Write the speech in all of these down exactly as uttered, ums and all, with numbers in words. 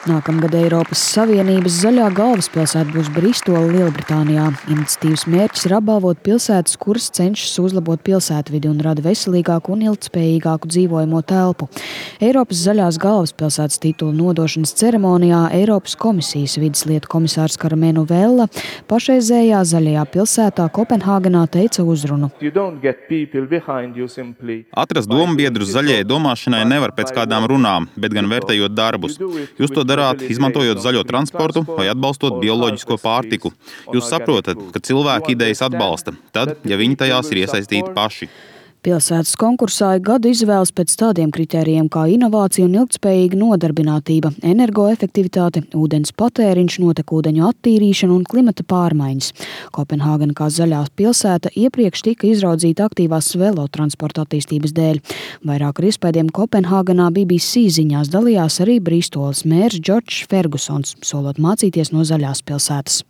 Nākamgad Eiropas Savienības zaļā galvaspilsēta būs Bristola, Lielbritānijā. Iniciatīvas mērķis ir apbalvot pilsētas, kuras cenšas uzlabot pilsētvidi un rada veselīgāku un ilgtspējīgāku dzīvojamo telpu. Eiropas zaļās galvaspilsētas titula nodošanas ceremonijā Eiropas komisijas vides lietu komisārs Karmenu Vella pašreizējā zaļajā pilsētā Kopenhāgenā teica uzrunu. Atrast dombiedrus zaļajai domāšanai nevar pēc kādām runām, bet gan vērtējot darbus. Jūs to darāt, izmantojot zaļo transportu vai atbalstot bioloģisko pārtiku. Jūs saprotat, ka cilvēki idejas atbalsta, tad, ja viņi tajās ir iesaistīti paši. Pilsētas konkursā gadu izvēles pēc tādiem kritērijiem kā inovācija un ilgtspējīga nodarbinātība, energoefektivitāte, ūdens patēriņš, notekūdeņu attīrīšana un klimata pārmaiņas. Kopenhāgena kā zaļā pilsēta iepriekš tika izraudzīta aktīvās velotransporta attīstības dēļ. Vairāk ar iespējiem Kopenhāgenā B B C ziņās dalījās arī Bristolas mērs Džordžs Fergusons, solot mācīties no zaļās pilsētas.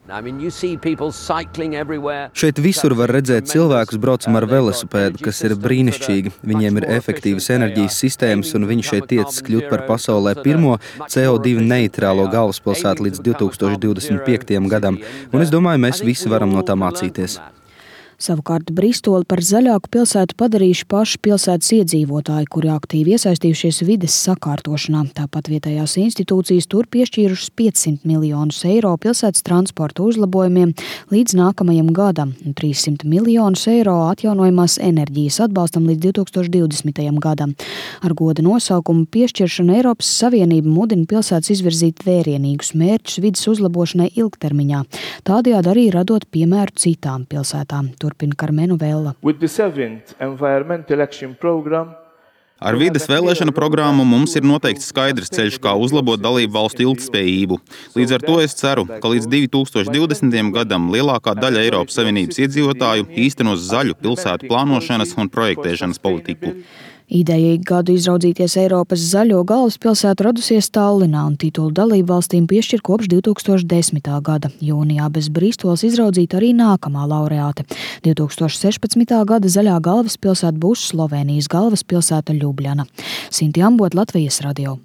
Šeit visur var redzēt cilvēkus braucam ar velosipēdu, kas ir brīnišķīgi. Viņiem ir efektīvas enerģijas sistēmas, un viņi šeit tiecas kļūt par pasaulē pirmo C O divi neitrālo galvaspilsētu līdz divi tūkstoši divdesmit piektajam gadam. Un es domāju, mēs visi varam no tā mācīties. Savukārt Bristoli par zaļāku pilsētu padarījuši paši pilsētas iedzīvotāji, kuri aktīvi iesaistījušies vides sakārtošanā. Tāpat vietējās institūcijas tur piešķīrušas piecsimt miljonus eiro pilsētas transporta uzlabojumiem līdz nākamajam gadam un trīssimt miljonus eiro atjaunojamās enerģijas atbalstam līdz divi tūkstoši divdesmitajam gadam. Ar goda nosaukumu piešķiršanu Eiropas Savienība mudina pilsētas izvirzīt vērienīgus mērķus vides uzlabošanai ilgtermiņā, tādējādi arī radot piemēru citām pilsētām. Turpina Karmenu Vella. Ar vides vēlēšanu programmu mums ir noteikts skaidrs ceļš, kā uzlabot dalību valstu ilgtspējību. Līdz ar to es ceru, ka līdz divi tūkstoši divdesmitajam gadam lielākā daļa Eiropas Savienības iedzīvotāju īstenos zaļu pilsētu plānošanas un projektēšanas politiku. Ideja gadu izraudzīties Eiropas zaļo galvaspilsētu radusies Tallinā un titulu dalību valstīm piešķir kopš divi tūkstoši desmitā gada. Jūnijā bez Bristolas izraudzīta arī nākamā laureāte. divi tūkstoši sešpadsmitā gada zaļā galvaspilsēta būs Slovēnijas galvaspilsēta Ljubljana. Sinti Ambot, Latvijas radio.